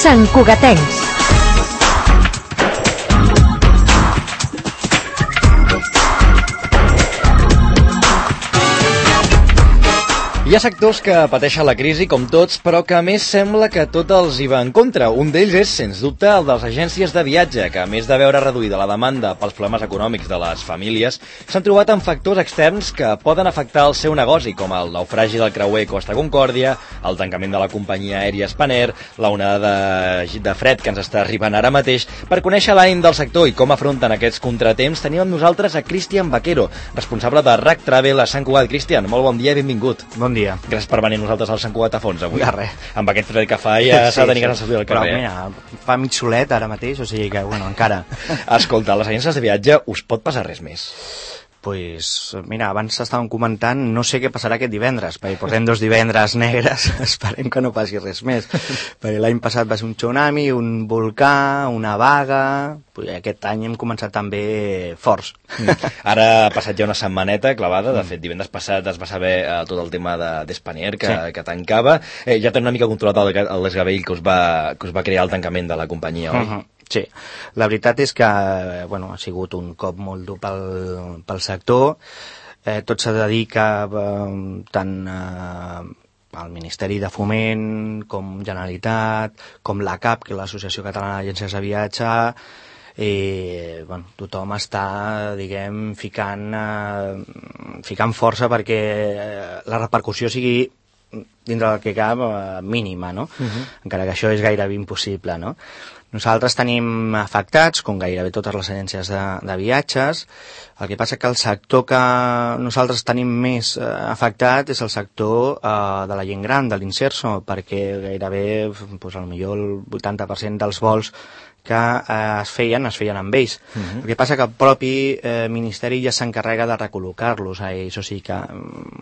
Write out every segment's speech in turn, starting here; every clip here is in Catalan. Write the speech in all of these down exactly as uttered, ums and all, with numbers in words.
Sant Cugatencs. Hi ha sectors que pateixen la crisi com tots, però que a més sembla que tot els hi va en contra. Un d'ells és, sens dubte, el de les agències de viatge, que a més de veure reduïda la demanda pels problemes econòmics de les famílies, s'han trobat amb factors externs que poden afectar el seu negoci, com el naufragi del creuer Costa Concòrdia, el tancament de la companyia aèria Spanair, la onada de, de fred que ens està arribant ara mateix. Per conèixer l'ànim del sector i com afronten aquests contratemps, tenim amb nosaltres a Cristian Vaquero, responsable de R A C Travel a Sant Cugat. Cristian, molt bon dia i benvingut. Bon dia. Gràcies per venir nosaltres al Sant Cugat a fons avui. De res. Amb aquest fred que fa ja s'ha sí, de tenir sí. ganes de sortir al carrer. Però mira, fa mig solet ara mateix, o sigui que, bueno, encara. Escolta, a les agències de viatge us pot passar res més? Pues, mira, abans estàvem comentant, no sé què passarà aquest divendres, perquè portem dos divendres negres, esperem que no passi res més, perquè l'any passat va ser un tsunami, un volcà, una vaga, pues aquest any hem començat també forts. Mm. Ara ha passat ja una setmaneta clavada, de fet divendres passat es va saber eh, tot el tema de, d'Spanair que, sí. que tancava, eh, ja tenen una mica controlat el, el desgavell que us, va, que us va crear el tancament de la companyia, oi? Uh-huh. Sí, la veritat és que bueno, ha sigut un cop molt dur pel, pel sector. Eh, tot s'ha de dir que eh, tant eh, el Ministeri de Foment com Generalitat, com la C A P, que és l'Associació Catalana d'Agències de Viatge, eh, bueno, tothom està, diguem, ficant, eh, ficant força perquè la repercussió sigui dintre del que cap eh, mínima, no? Uh-huh. Encara que això és gairebé impossible, no? Nosaltres tenim afectats, com gairebé totes les agències de, de viatges. El que passa que el sector que nosaltres tenim més eh, afectat és el sector eh, de la gent gran, de l'inserso, perquè gairebé, pues, potser el vuitanta per cent dels vols que eh, es feien, es feien amb ells. Uh-huh. El que passa que el propi eh, Ministeri ja s'encarrega de recol·locar-los a ells, o sigui que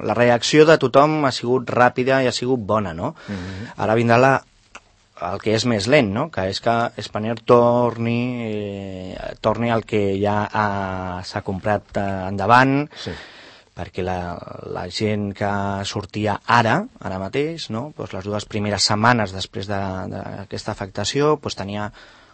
la reacció de tothom ha sigut ràpida i ha sigut bona, no? Uh-huh. Ara vindrà la el que és més lent, no? Que és que Spanair torni, eh, torni el que ja ha, s'ha comprat eh, endavant, sí. Perquè la, la gent que sortia ara, ara mateix, no? Pues les dues primeres setmanes després de, d'aquesta afectació, pues tenia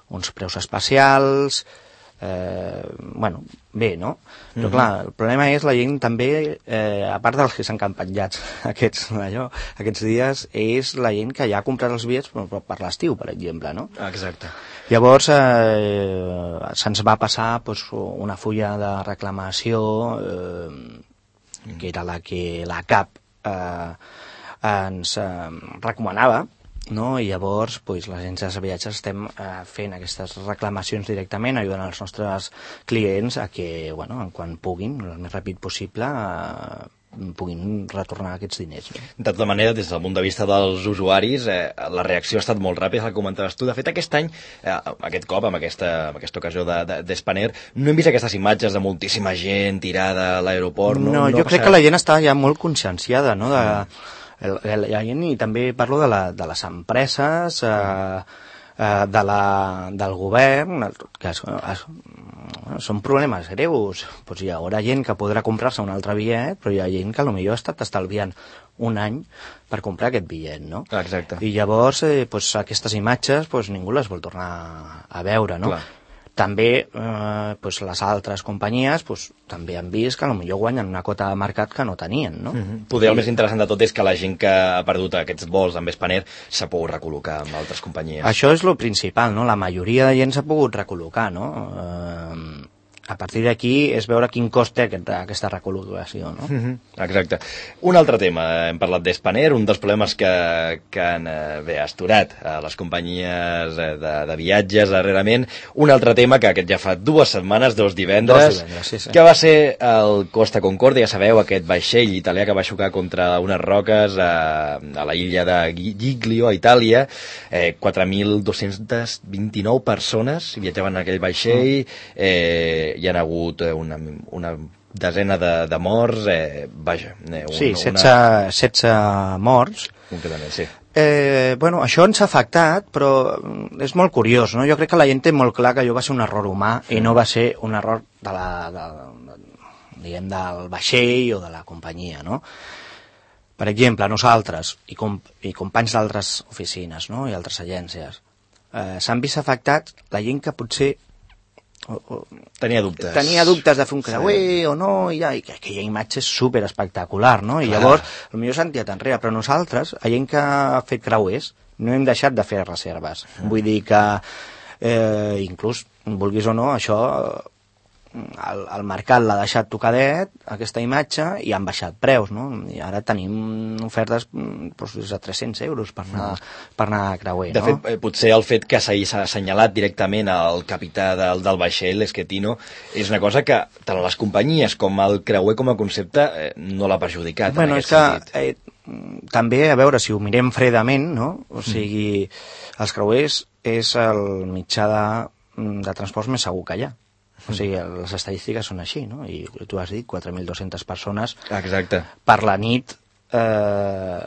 uns preus especials, eh, bueno, bé, no? Però mm-hmm. clar, el problema és la gent també, eh, a part dels que s'han campanyats aquests, allò, aquests dies, és la gent que ja ha comprat els bitllets per, per l'estiu, per exemple, no? Exacte. Llavors eh, se'ns va passar pues, una fulla de reclamació eh, mm. que era la que la C A P eh, ens eh, recomanava, no? I llavors pues, les agències de viatges estem eh, fent aquestes reclamacions directament, ajudant els nostres clients a que, bueno, quan puguin, el més ràpid possible, eh, puguin retornar aquests diners. No? De tota manera, des del punt de vista dels usuaris, eh, la reacció ha estat molt ràpida, el comentaves tu. De fet, aquest any, eh, aquest cop, amb aquesta, amb aquesta ocasió de, de, d'Spanair, no hem vist aquestes imatges de moltíssima gent tirada a l'aeroport. No, no, no jo crec que la gent està ja molt conscienciada, no?, de... Mm. El, el, el, i també parlo de, la, de les empreses, eh, eh, de la, del govern, que es, es, són problemes greus. Pues hi haurà gent que podrà comprar-se un altre bitllet, però hi ha gent que potser ha estat estalviant un any per comprar aquest bitllet, no? Exacte. I llavors eh, pues, aquestes imatges pues, ningú les vol tornar a veure, no? Clar. També eh, pues les altres companyies pues, també han vist que potser guanyen una quota de mercat que no tenien, no? Mm-hmm. Poder el més interessant de tot és que la gent que ha perdut aquests vols amb Spanair s'ha pogut recol·locar amb altres companyies. Això és el principal, no? La majoria de gent s'ha pogut recol·locar, no? Eh, a partir d'aquí és veure quin cost té aquest, aquesta recol·locació, no? Mm-hmm. Exacte. Un altre tema, hem parlat d'Spanair, un dels problemes que, que han eh, bé, asturat a les companyies eh, de, de viatges darrerament. Un altre tema que aquest ja fa dues setmanes, dos divendres, dos divendres sí, sí. que va ser el Costa Concòrdia, ja sabeu, aquest vaixell italià que va xocar contra unes roques a, a la illa de Giglio, a Itàlia. Eh, quatre mil dos-centes vint-i-nou persones viatjaven en aquell vaixell, eh, hi ha hagut una, una desena de, de morts, eh, vaja... Eh, un, sí, setze, una... setze morts. Concretament, sí. Eh, bueno, això ens ha afectat, però és molt curiós, no? Jo crec que la gent té molt clar que allò va ser un error humà sí. i no va ser un error de la, de, de, diguem, del vaixell o de la companyia, no? Per exemple, nosaltres i, com, i companys d'altres oficines, no? I altres agències, eh, s'han vist afectats la gent que potser o, o, tenia dubtes. Tenia dubtes de fer un creuer sí. o no, i, ja, i aquella imatge és super espectacular, no? I Clar. Llavors, potser s'han tirat enrere, però nosaltres, la gent que ha fet creuers, no hem deixat de fer reserves. Mm. Vull dir que, eh, inclús, vulguis o no, això... El, el mercat l'ha deixat tocadet, aquesta imatge, i han baixat preus, no? I ara tenim ofertes doncs, de tres-cents euros per anar, per anar a creuer, de no? De fet, potser el fet que s'ha assenyalat directament al capità del, del vaixell, l'Schettino, és una cosa que tant les companyies com el creuer com a concepte eh, no l'ha perjudicat, bueno, en aquest és sentit. Que, eh, també, a veure, si ho mirem fredament, no? O sigui, mm. els creuers és el mitjà de, de transport més segur que hi ha. O sigui, les estadístiques són així, no? I tu has dit quatre mil dues-centes persones Exacte. Per la nit eh,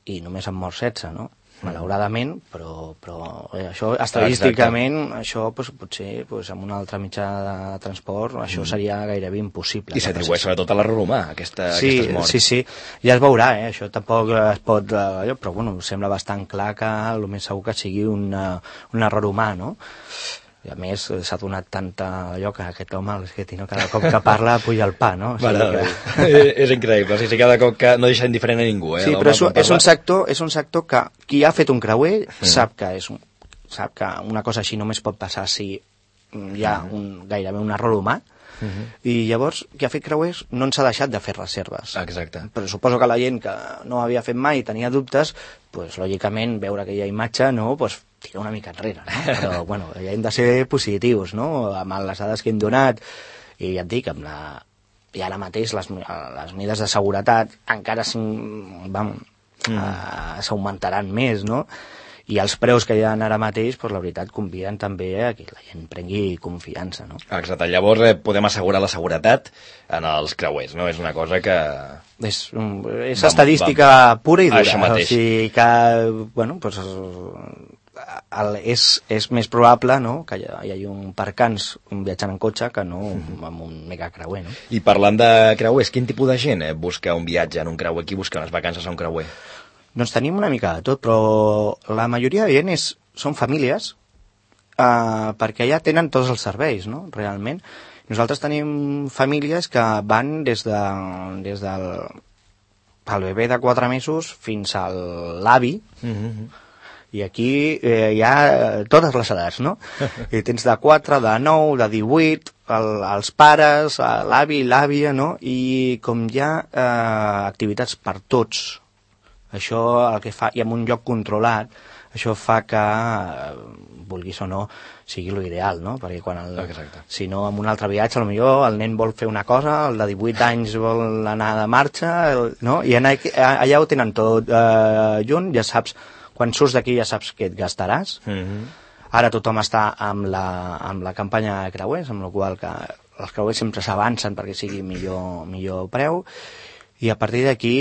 i només han mort setze, no? Malauradament, però, però eh, això estadísticament, Exacte. Això pues, potser pues, amb un altre mitjà de transport això seria gairebé impossible. I s'atribueix sobretot a l'error humà, aquesta, sí, aquestes morts. Sí, sí, ja es veurà, eh? Això tampoc es pot... Eh, però bueno, sembla bastant clar que el més segur que sigui una, un error humà, no? I a més s'ha donat tanta allò que aquest home, que cada cop que parla puja el pa, no? O sigui vale, que... és increïble, o sigui, cada cop que no deixa indiferent a ningú, eh? Sí, però és, és, un sector, és un sector que qui ha fet un creuer mm. sap que és un, sap que una cosa així només pot passar si hi ha un, gairebé un error humà. Uh-huh. I llavors, qui ha fet creuers no ens ha deixat de fer reserves. Exacte. Però suposo que la gent que no havia fet mai i tenia dubtes, pues, lògicament, veure aquella imatge, no, pues, tira una mica enrere, no? Però, bueno, ja hem de ser positius, no?, amb les dades que hem donat, i ja et dic, amb la... i ara mateix les, les mides de seguretat encara vam, mm. uh, s'augmentaran més, no?, i els preus que hi ha ara mateix, doncs, la veritat, conviden també a que la gent prengui confiança, no? Exacte. Llavors eh, podem assegurar la seguretat en els creuers, no? És una cosa que... És, és vam, estadística vam. pura i dura. Això mateix. O sigui que, bueno, doncs, el, és, és més probable, no?, que hi, hi hagi un percans viatjant en cotxe que no mm. amb un mega creuer, no? I parlant de creuers, quin tipus de gent eh, busca un viatge en un creuer? Qui busca unes vacances a un creuer? Doncs tenim una mica de tot, però la majoria de gent és, són famílies eh, perquè ja tenen tots els serveis, no?, realment. Nosaltres tenim famílies que van des, de, des del el bebè de quatre mesos fins a l'avi, mm-hmm. i aquí eh, hi ha totes les edats, no? I tens de quatre, de nou, de divuit, el, els pares, l'avi, l'àvia, no? I com hi ha eh, activitats per tots, això el que fa, i amb un lloc controlat, això fa que, vulguis o no, sigui l'ideal, no? Perquè quan el, si no, amb un altre viatge, potser el nen vol fer una cosa, el de divuit anys vol anar de marxa, el, no? I allà, allà ho tenen tot eh, junt, ja saps, quan surts d'aquí ja saps què et gastaràs. Mm-hmm. Ara tothom està amb la, amb la campanya de creuers, amb la qual que els creuers sempre s'avancen perquè sigui millor, millor preu, i a partir d'aquí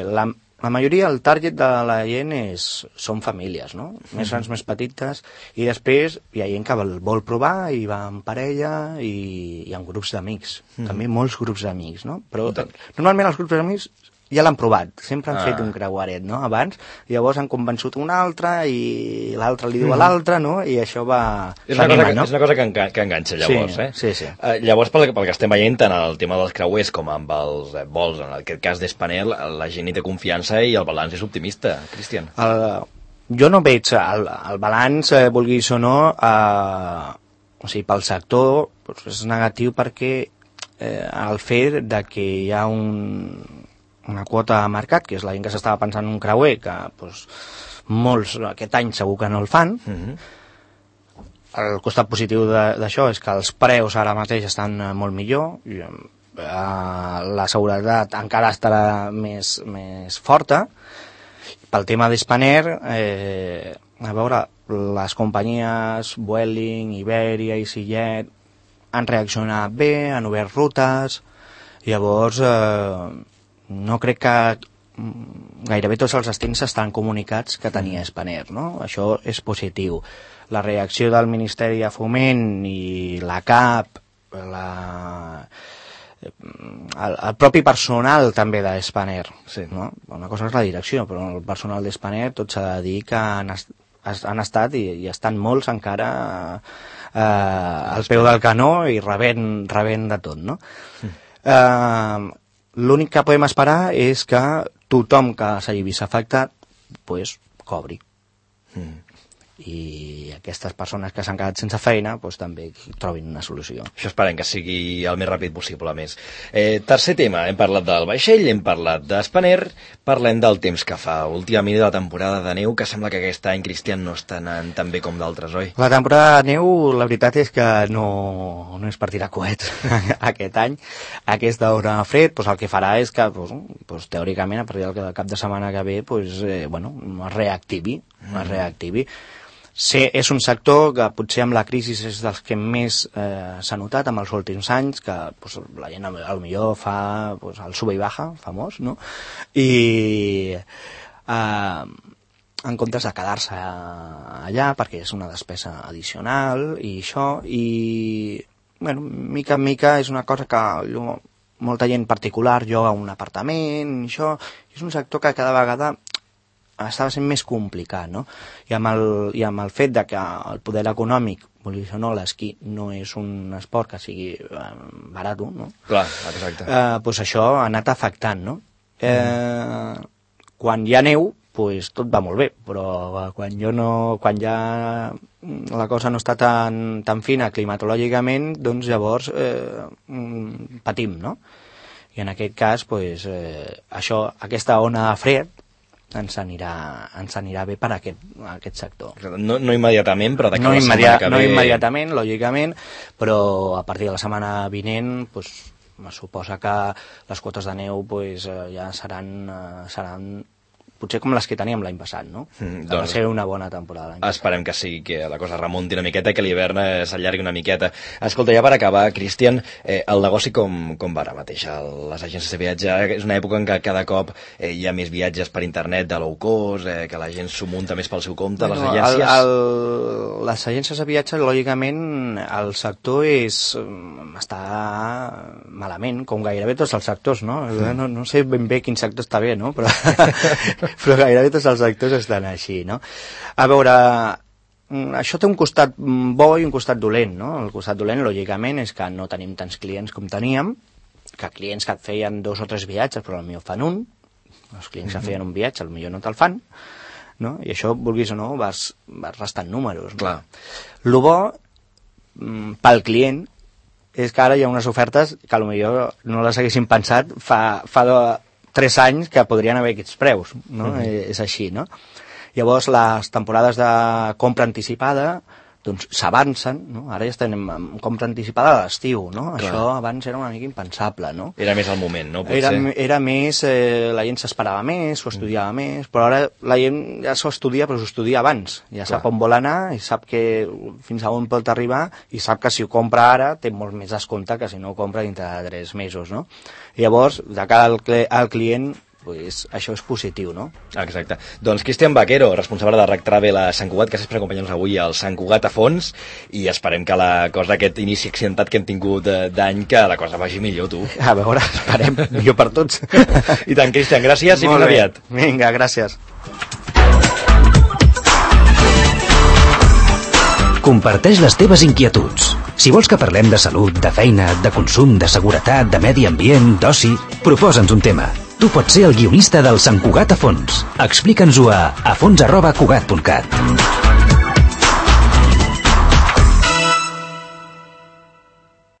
la La majoria, el target de la gent és, són famílies, no? Més grans, més petites, i després hi ha gent que vol provar i va en parella i, i en grups d'amics. Mm. També molts grups d'amics, no? Però normalment els grups d'amics ja l'han provat, sempre han ah. fet un creuaret, no?, abans, i llavors han convençut un altre i l'altre li diu mm. a l'altre, no?, i això va... És una, anima, cosa, que, no? és una cosa que, enga, que enganxa, llavors, sí, eh? Sí, sí. Uh, llavors, pel, pel que estem veient, tant el tema dels creuers com amb els eh, vols, en aquest cas d'Spanair, la gent hi té confiança i el balanç és optimista, Cristian. El, jo no veig el, el balanç, eh, vulguis o no, eh, o sigui, pel sector doncs és negatiu perquè eh, el fet de que hi ha un... una quota de mercat, que és la gent que s'estava pensant en un creuer, que doncs, molts aquest any segur que no el fan. Mm-hmm. El costat positiu d'això és que els preus ara mateix estan molt millor, i, eh, la seguretat encara estarà més, més forta. Pel tema d'Spanair, eh, a veure, les companyies Vueling, Iberia, EasyJet han reaccionat bé, han obert rutes, llavors... Eh, no crec que gairebé tots els destins estan comunicats que tenia Spanair, no? Això és positiu. La reacció del Ministeri de Foment i la C A P, la... el, el propi personal també de Spanair, sí. No? Una cosa és la direcció, però el personal de Spanair tot s'ha de dir que han, han estat i, i estan molts encara eh, al peu del canó i rebent, rebent de tot, no? Mm. Eh, l'únic que podem esperar és que tothom que s'hagi vist afectat pues, cobri. Mm. I aquestes persones que s'han quedat sense feina pues, també trobin una solució. Això esperem que sigui el més ràpid possible, a més. Eh, tercer tema, hem parlat del vaixell, hem parlat d'Spanair, parlem del temps que fa. Última de la temporada de neu, que sembla que aquest any, Cristian, no està anant tan bé com d'altres, oi? La temporada de neu, la veritat és que no, no és per tirar coets aquest any. Aquesta hora fred, pues, el que farà és que, pues, pues, teòricament, a partir del cap de setmana que ve, pues, eh, bueno, es reactivi, mm. es reactivi. Sí, és un sector que potser amb la crisi és dels que més eh, s'ha notat en els últims anys, que pues, la gent potser fa pues, el sube i baja, famós, no? I eh, en comptes de quedar-se allà, perquè és una despesa addicional i això, i bueno, mica en mica és una cosa que jo, molta gent particular lloga un apartament, i això, és un sector que cada vegada estava sent més complicat, no? I amb el, i amb el fet de que el poder econòmic, vulguis o no, l'esquí no és un esport que sigui eh, barat, no? Clar, exacte. Eh, pues això ha anat afectant, no? Eh, mm. Quan hi ha neu, pues tot va molt bé, però quan jo no, quan ja la cosa no està tan, tan fina climatològicament, doncs llavors eh, patim, no? I en aquest cas, pues, eh, això, aquesta ona de fred, ens anirà, ens anirà bé per a aquest, a aquest sector. No, no immediatament, però de no la immediat, setmana que no ve... No immediatament, lògicament, però a partir de la setmana vinent, pues, me suposa que les quotes de neu pues, ja seran, seran potser com les que teníem l'any passat, no? Mm, doncs, va ser una bona temporada. Esperem que sigui, que la cosa remunti una miqueta, que l'hivern s'allargui una miqueta. Escolta, ja per acabar, Cristian, eh, el negoci com, com va ara mateix? El, les agències de viatge, és una època en què cada cop eh, hi ha més viatges per internet de low cost, eh, que la gent s'ho munta més pel seu compte, bueno, les agències... El, el, les agències de viatge, lògicament, el sector és, està malament, com gairebé tots els sectors, no? Mm. No, no sé ben bé quin sector està bé, no? Però... però gairebé tots els actors estan així, no? A veure, això té un costat bo i un costat dolent, no? El costat dolent, lògicament, és que no tenim tants clients com teníem, que clients que et feien dos o tres viatges, però potser fan un, els clients que feien un viatge, potser no te'l fan, no? I això, vulguis o no, vas, vas restant números. No? Clar. Lo bo, pel client, és que ara hi ha unes ofertes que potser no les haguessin pensat fa... fa de, tres anys que podrien haver aquests preus, no? Mm-hmm. És així, no? Llavors, les temporades de compra anticipada, doncs, s'avancen, no? Ara ja estem en compra anticipada a l'estiu, no? Clar. Això abans era una mica impensable, no? Era més el moment, no? Potser. Era, era més, eh, la gent s'esperava més, s'ho estudiava mm. més, però ara la gent ja s'ho estudia, però s'ho estudia abans. Ja Clar. Sap on vol anar i sap que fins a on pot arribar i sap que si ho compra ara té molt més descompte que si no ho compra dintre de tres mesos, no? I llavors, de cara al, al client, pues, això és positiu, no? Exacte. Doncs Cristian Vaquero, responsable de Rack Travel a Sant Cugat, gràcies per acompanyar-nos avui al Sant Cugat a fons, i esperem que la cosa, aquest inici accidentat que hem tingut d'any, que la cosa vagi millor, tu. A veure, esperem, millor per tots. I tant, Cristian, gràcies i fins aviat. Vinga, gràcies. Comparteix les teves inquietuds. Si vols que parlem de salut, de feina, de consum, de seguretat, de medi ambient, d'oci, proposa'ns un tema. Tu pots ser el guionista del Sant Cugat a fons. Explica'ns-ho a afons arroba cugat punt cat.